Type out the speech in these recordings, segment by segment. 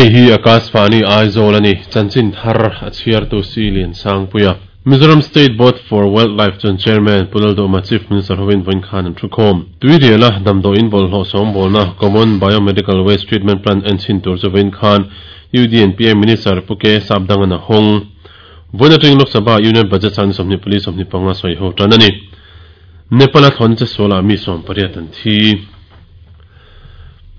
Hei hi Akashvani Aizawl a ni, chanchin thar a chhiartu Si Liansangpuia. Mizoram State Board for Wildlife chuan Chairman Pu Lalduhma Chief Minister hovin vawiin khan an thukhawm. Tuiriala damdawiin bawlhhlawh sawngbawlna Common Biomedical Waste Treatment Plant en chhin tur chu vawiin khan UDNPA Minister Pu K Sapdangan a hawng. Vawiin atangin Lok Sabha Union Budget sang ni 24 25 sawi ho tan a ni. Nepal-a thlawhna che sualah mi 18 an thi.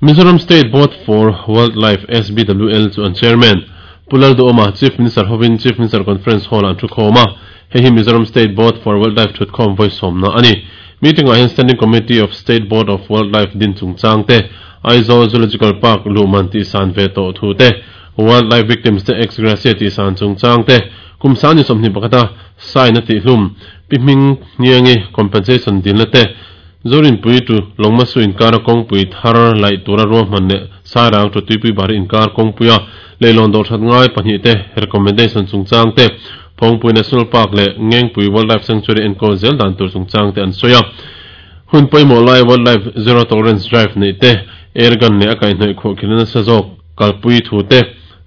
Mizoram State Board for Wildlife, SBWL, chu an Chairman, Pu Lalduhawma, Chief Minister hovin Chief Minister Conference Hall-ah an thukhawm a. Hei hi Mizoram State Board for Wildlife thutkhawm vawi sawmna a ni. Meeting-ah hian Standing Committee of State Board of Wildlife din chungchang te, Aizawl Zoological Park luhman tihsan ve tawh thu te, Wildlife Victims te ex gratia tihsan chungchang te, kum sangni 21 a sign a tihhlum, Pi Hming Hniangi compensation dilna te, Zorinpui tu Lawngmasu inkara kawngpui thar laih tura ruahman leh Sairang tu Tuipui Bari inkar kawngpuia leilawn dawh that ngai pahnihte recommendation chungchang te, Phawngpui National Park leh Ngengpui Wildlife Sanctuary enkawl zel dan tur chungchang te an sawi a. Hun pawimawh lai Wildlife Zero Tolerance Drive neih te, air gun leh a kaihhnawih khuahkhirhna nasa zawk kalpui thu te,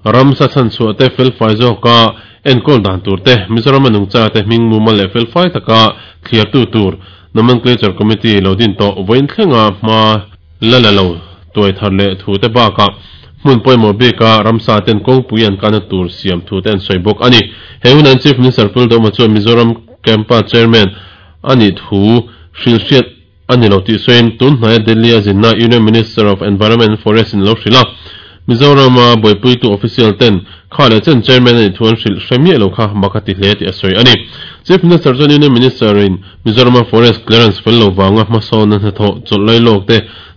ramsa chhanchhuah te felfai zawka enkawl dan tur te, Mizorama nungcha te hming mumal leh felfai taka thliartu tur Nomenclature Committee lo din tawh vawiin thlenga hma la la lo tuai thar leh thu te bakah hmun pawimawh bika ramsa ten kawngpui an kana tur siam thu te an sawi bawk a ni. He hunan Chief Minister Pu Lalduhoma chuan Mizoram Campa Chairman a nih thu hrilhhriat a ni lo tih sawiin tun hnaia Delhi a zinna Union Minister of Environment and Forest in lo hrilh a. Mizorama buaipuitu official ten kha leh chen chairman a nih thu an hrilh hre miah lo kha mak a ti hle tih a sawi a ni. Chief Minister chuan Union Minister in Mizorama forest clearance fel lo vanga hmasawnna hnathawh chawlh lai lawk te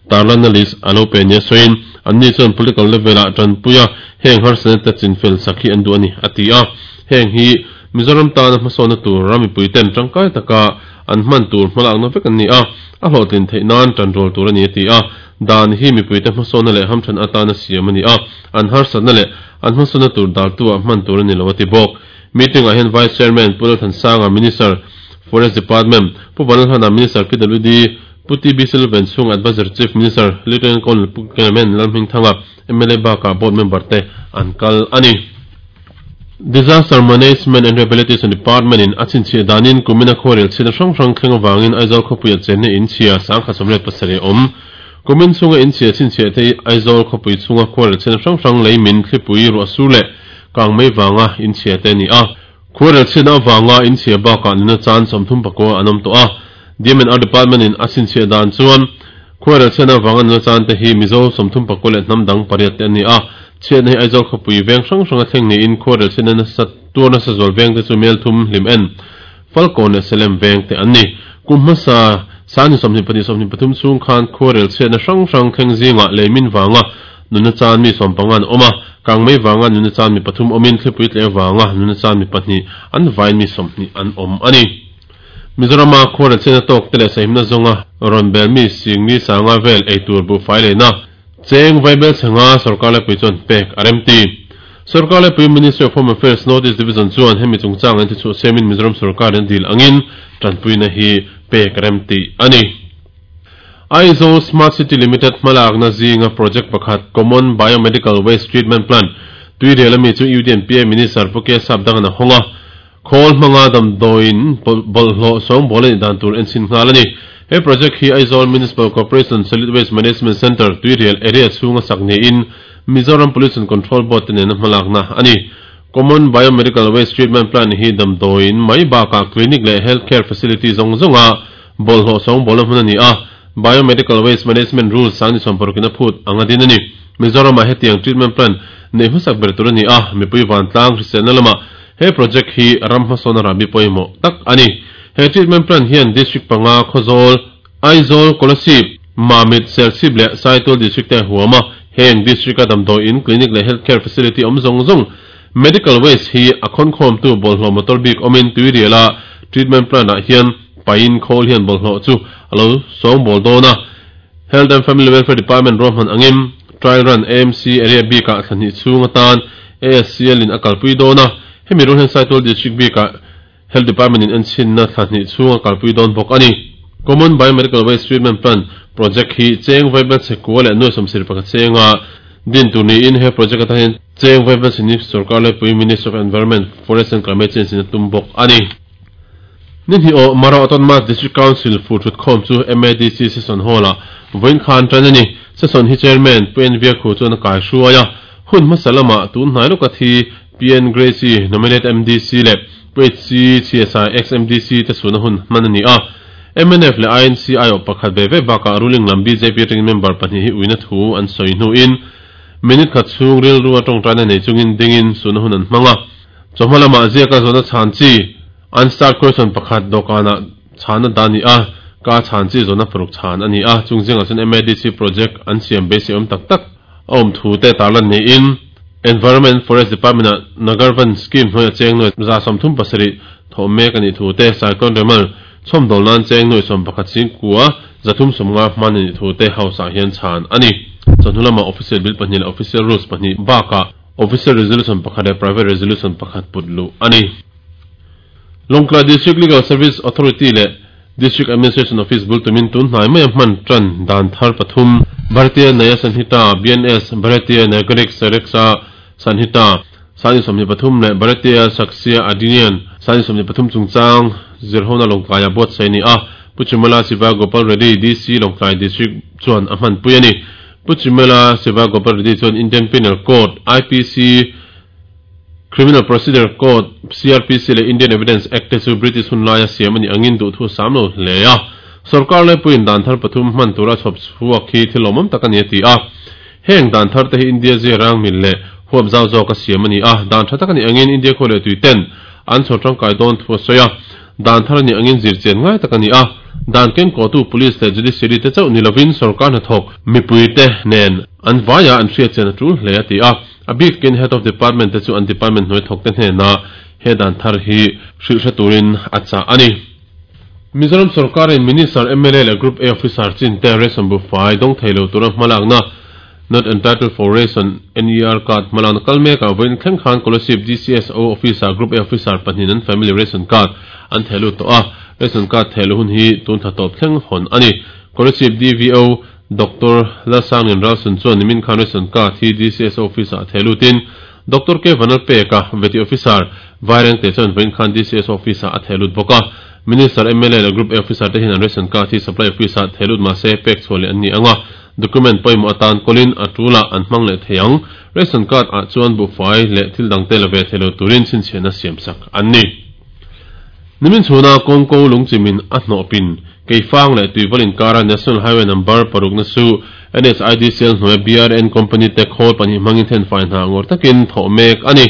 tarlanna list a lo pe nia sawiin anni chuan political level ah tanpuia heng harsatna te chinfel sak hi an duh a ni a ti a. Heng hi Mizoram tana hmasawnna tur ram mipui ten tangkai taka an hman tur hmalakna vek an ni a, a hlawhtlin theih nan tanrual tur a ni a ti a. Dan hi mipuite hmasawnna leh hamthan atana siam a ni a, an harsatna leh an hmasawnna tur daltu-ah hman tur a ni lo a ti bawk. Meeting-ah hian Vice Chairman Pu Lalthansanga, Minister, Forest Department, Pu Vanlalhana, Minister, PWD, Pu TB Silven Chung, Adviser Chief Minister, Lieutenant Colonel Pu Clement Lalhmingthanga, mla bakah Board member te an kal a ni. Disaster Management and Rehabilitation Department in a chhinchhiah danin kumina khuarel chhiatna hrang hrang thleng avangin Aizawl khawpuia chenna in chhia 1087 a awm. Kumin chhunga in chhia chhinchhiah te hi Aizawl khawpui chhunga khuarel chhiatna hrang hrang lei min, thlipui, ruah sur leh kang mai vanga in chhia te a ni a. Khuarel chhiatna avanga in chhia bakah nuna chan 39 an awm tawh a. DMNR Department in a chhinchhiah dan chuan khuarel chhiatna avanga nuna chan te hi Mizo 34 leh hnam dang pariat te an ni a. Chhiatna hi Aizawl khawpui veng hrang hranga thleng niin khuarel chhiatna nasa tuar nasa zual veng te chu Melthum, Hlim En, Falkawn leh Selem veng te an ni. Kum hmasa Sani 22 23 chhung khan khuarel chhiatna hrang hrang thleng zingah leimin vanga nuna chan mi 15 an awm a, kangmei vanga nuna chan mi pathum awmin thlipui tleh vanga nuna chan mi pahnih an vain mi 20 an awm a ni. Mizorama khuarel chhiatna tawk te leh sahimna zawnga rawn bel mi singni sanga vel eitur buhfai leina Cheng Vaibel chhanga sorkar laipui chuan pek a remti. Sorkar laipui Ministry of Home Affairs North East Division chuan hemi chungchang an tichhuah siamin Mizoram sorkar in dil angin tanpuina hi pek a remti a ni. Aizawl Smart City Limited hmalakna zinga project pakhat Common Biomedical Waste Treatment Plant Tuirial ami chu UDNPA Minister Pu K Sapdangan a hawng a. Khawl hmanga damdawiin bawlhhlawh sawngbawl a nih dan tur enchhin nghal a ni. He project hi Aizawl Municipal Corporation Solid Waste Management Centre, Tuirial area chhunga sak niin Mizoram Pollution Control Board te nena hmalakna a ni. Common Biomedical Waste Treatment Plant hi damdawiin mai bakah clinic leh health care facility zawng zawnga bawlhhlawh sawngbawlna hmun a ni a, Biomedical Waste Management Rules 2060 in a phut anga din a ni. Mizoramah hetiang treatment plant neih hmasak ber tur a ni a, mipui vantlang hriselna lamah He project hi ram hmasawn a rahbi pawimawh tak a ni. He treatment plant hian district panga Khawzawl, Aizawl, Kolasib, Mamit, Serchhip leh Saitual district te a huam a. Heng district a damdawi in, clinic leh health care facility awm zawng zawng medical waste hi a khawnkhawmtu bawlhhlawh motor bik awmin Tuiriala treatment plant ah hian pain khawl hian bawlhhlawh chu a lo sawngbawl dawn a. Health and Family Welfare Department ruahman angin trial run AMC area bikah thla hnih chhung atan ASCL in a kalpui dawn a, hemi rual hian Saitual District bikah Health Department in enchhinna thla hnih chhung a kalpui dawn bawk a ni. Common Biomedical Waste Treatment Plant project hi cheng vaibel chhe kua leh nuai 71 chenga. din tur niin he project atan hian cheng Vaibelchhini Sorkar Laipui Ministry of Environment, Forest and Climate Change in a tum bawk a ni. Ni hnih awh Mara Autonomous District Council fur thutkhawm chu MADC Session Hall-ah vawiin khan tan a ni. Session hi Chairman Pu N Viakhu chuan a kaihruai a, hun hmasa lamah tun hnai lawka thi PN Gracy, Nominate MDC leh Pu HC Chhiasa, Ex-MDC te chhuna hun hman a ni a. Mnf leh INC aiawh pakhat ve ve bakah ruling lam bjp atangin member pahnih hi uina thu an sawi hnuin minute khat chhung rilru a tawngtaina nei chungin dingin suna hun an hmang a. Chawhma lamah ziaka zawhna chhan chi unstarred question pakhat dawhkanah chhana dah a ni a, ka chhan chi zawhna paruk chhan a ni a, chung zingah chuan MADC project an siam beisei awm tak tak a awm thu te tarlan niin Environment and Forest Department-ah Nagarvan Scheme hnuaia cheng nuai 37 thawh mek a nih thu te, Cyclone Remal chhawmdawl nan cheng nuai 11 singkua 350 hman a nih thu te House-ah hian chhan a ni. Chawhnu lamah Official Bill pahnih leh Official Rules pahnih bakah Official Resolution pakhat leh Private Resolution pakhat put luh a ni. Lawngtlai District Legal Service Authority leh District Administration Office bul tumin tun hnai maia hman tan dan thar pathum, Bharatiya Nyaya Sanhita, BNS, Bharatiya Nagarik Suraksha Sanhita, Sani 23 leh Bharatiya Sakshya Adhiniyam, Sani 23 chungchang zirhona Lawngtlaia buatsaih a ni a, Pu Chimala Siva Gopal Reddy, DC, Lawngtlai District chuan a hmanpui a ni. Pu Chimala Siva Gopal Reddy chuan Indian Penal Code, IPC, Criminal Procedure Code, CrPC, leh Indian Evidence Act te chu British hun laia siam a nih angin duhthu a sam lo hle a. Sorkar laipuiin dan thar pathum hman tura chhawp chhuak hi thil lawmawm tak a ni a ti a. Heng dan thar te hi India zia rang mil leh huap zau zawka siam a ni a, dan tha tak a nih angin India khua leh tui ten an chhawr tangkai dawn thu a sawi a. Dan thar a nih angin zirchian ngai tak a ni a, dan kenkawhtu Police leh Judiciary te chauh ni lovin sorkar hnathawk mipuite nen an vaia an hriatchian a tul hle a ti a. A bik in Head of Department te chu an department hnuai thawk te hnenah he dan thar hi hrilh hre turin a chah a ni. Mizoram sorkarin Minister, mla leh Group A officer chin te ration buhfai dawng thei lo tura hmalakna Not Entitled for Ration, NER, card hmalakna kal mekah vawiin thleng khan Kolasib DCSO officer Group A officer pahnihin an family ration card an theh lut tawh a, ration card theh luh hun hi tun thla tawp thleng hawn a ni. Kolasib DVO Doctor Lalsangin Ralsun chuan nimin khan ration card hi DCS office-ah theh lutin Doctor K Vanlalpeka, Vety Officer, Vairengte chuan vawiin khan DCS office-ah a theh lut bawk a. Minister, mla leh Group A officer te hian an ration card hi supply office-ah theh lut mahse pek chhuah leh an ni ang a, document pawimawh atan kawlin a tulah an hmang leh thei ang. Ration card ah chuan buhfai leh thil dangte la ve thei lo turin chhinchhiahna siamsak an ni. Nimin chhuna kawngko lungchimin a hnawhpin Keifang leh Tuival inkara National Highway Number parukna chu NHIDCL hnuaia BRN Company te khawl pahnih hmangin thenfai hna ngawr takin thawh mek a ni.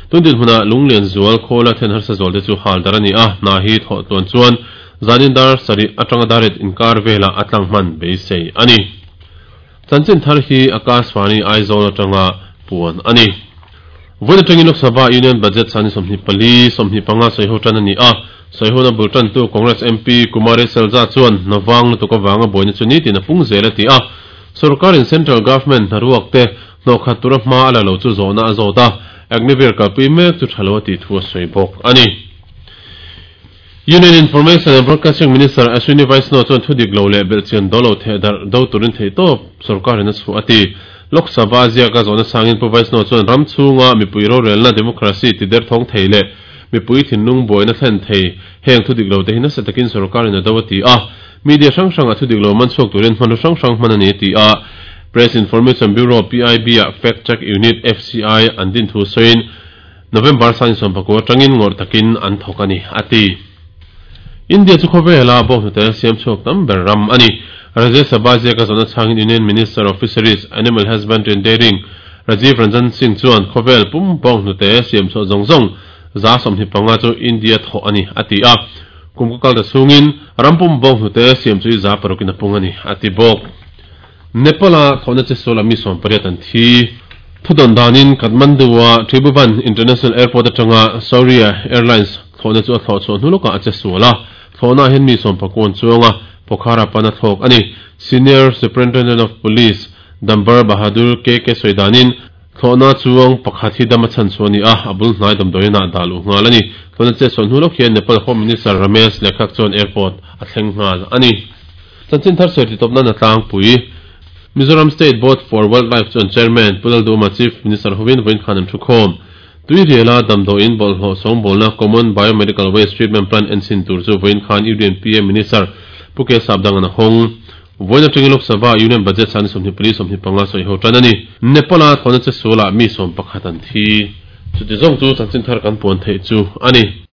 Tun dinhmunah Lunglian zual khawla then harsa zual te chu hal dar a ni a, hna hi thawh tluan chuan zanin dar sarih atanga dar riat inkar velah a tlang hman beisei a ni. Chanchin thar hi Akashvani Aizawl atanga puan a ni. Vawiin atangin Lok Sabha Union Budget sani 24, 25 sawiho tan a ni a. Sawihuna bul tantu Congress MP Kumari Selja chuan hna vang lutuk avanga buaina chu nitin a pung zel a ti a. Sorkarin Central Government hnaruak te hnawhkhat tura hma a la lo chu zawhna a zawt a, Agniveer kalpui mek chu tha lo a tih thu a sawi bawk a ni. Union Information and Broadcasting Minister Ashwini Vaishnaw chuan thu dik lo leh belhchian do lo theh darh do turin theihtawp sorkarin a chhuah a ti. Lok Sabha ziaka zawhna sangin Pu Vaishnaw chuan ram chhunga mipui rorelna democracy ti derthawng thei leh mipui thinlung buaina thlen thei heng thu dik lo te hi nasa takin sorkarin a do a ti a. Media hrang hrangah thu dik lo man chhuak turin hmanraw hrang hrang hman a ni a ti a. Press Information Bureau, PIB, ah Fact Check Unit, FCI, an din thu sawiin November sani sawmpakua atangin ngawrh takin an thawk a ni, a ti. India chu khawvela bawnghnute siam chhuak tam ber ram a ni. Rajya Sabha ziaka zawhna chhangin Union Minister of Fisheries, Animal Husbandry and Dairying, Rajiv Ranjan Singh chuan khawvel pum bawnghnute siam chhuah zawng zawng 25 chu India thawh a ni, a ti a. Kum ka kal ta chhungin ram pum bawnghnute siam chu i 6% in a pung a ni, a ti bawk. Nepal-a thawhna che sual a mi 18 an thi. Thudawn danin Kathmandu-a Tribhuvan International Airport atanga Saurya Airlines thlawhna chu a thlawh chhuah hnu lawkah a che sual a. Thlawhnaah hian mi sawmpakua an chuang a, Pokhara pan a thlawk a ni. Senior Superintendent of Police Dambar Bahadur KK sawi danin, thlawhna chuang pakhat hi dam a chhan chhuah a ni a, a bul hnai damdawiinah dah luh nghal a ni. Thlawhna che sual hnu lawk hian Nepal Home Minister Ramesh Lekhak chuan airport a thleng nghal a ni. Chanchin thar sawi titawp nan a tlangpui. Mizoram State Board for Wildlife chu an Chairman, Pu Lalduhoma Chief Minister hovin vawiin khan an thukhawm. Tuiriala damdawiin bawlhhlawh sawngbawlna Common Biomedical Waste Treatment Plant enchhin tur chu vawiin khan UDNPA Minister Pu K Sapdangan a hawng. Vawiin atangin Lok Sabha Union Budget sani 24 25 sawi ho tan a ni. Nepal-a thlawhna che sualah mi 11 an thi. Chuti zawng chu chanchin thar kan puan theih chu a ni.